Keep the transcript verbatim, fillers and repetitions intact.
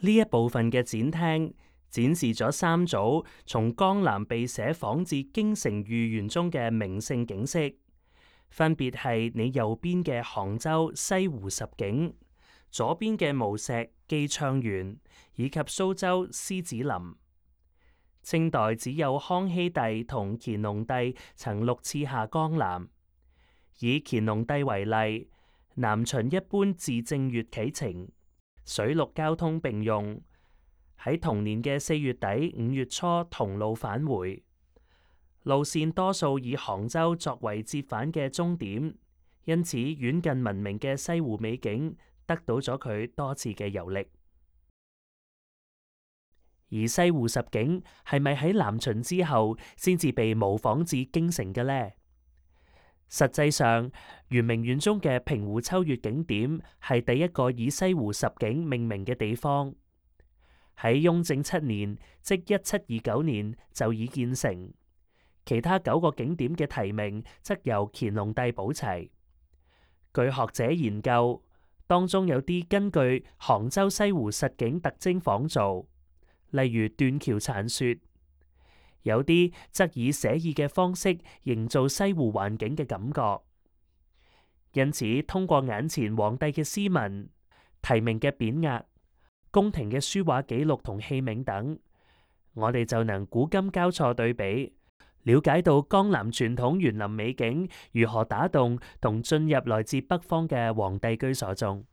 呢一部分嘅展廳展示咗三組從江南避寫仿至京城御園中嘅名勝景色，分別係你右邊嘅杭州西湖十景，左邊嘅無錫寄暢園，以及蘇州獅子林。清代只有康熙帝同乾隆帝曾六次下江南。以乾隆帝為例，南巡一般自正月啟程，水陸交通並用，喺同年嘅四月底五月初同路返回，路線多數以杭州作為折返嘅終點，因此遠近聞名嘅西湖美景得到咗佢多次嘅遊歷。而西湖十景係咪喺南巡之後先至被模仿至京城嘅呢？實際上，圓明園中嘅平湖秋月景點係第一個以西湖十景命名嘅地方。喺雍正七年，即一七二九年就已建成。其他九個景點嘅題名則由乾隆帝補齊。據學者研究，當中有啲根據杭州西湖實景特徵仿造，例如斷橋殘雪；有啲則以寫意嘅方式營造西湖環境嘅感覺。因此，通過眼前皇帝嘅詩文、題名嘅匾額、宮廷嘅書畫記錄同器皿等，我哋就能古今交錯對比，了解到江南傳統園林美景如何打動同進入來自北方嘅皇帝居所中。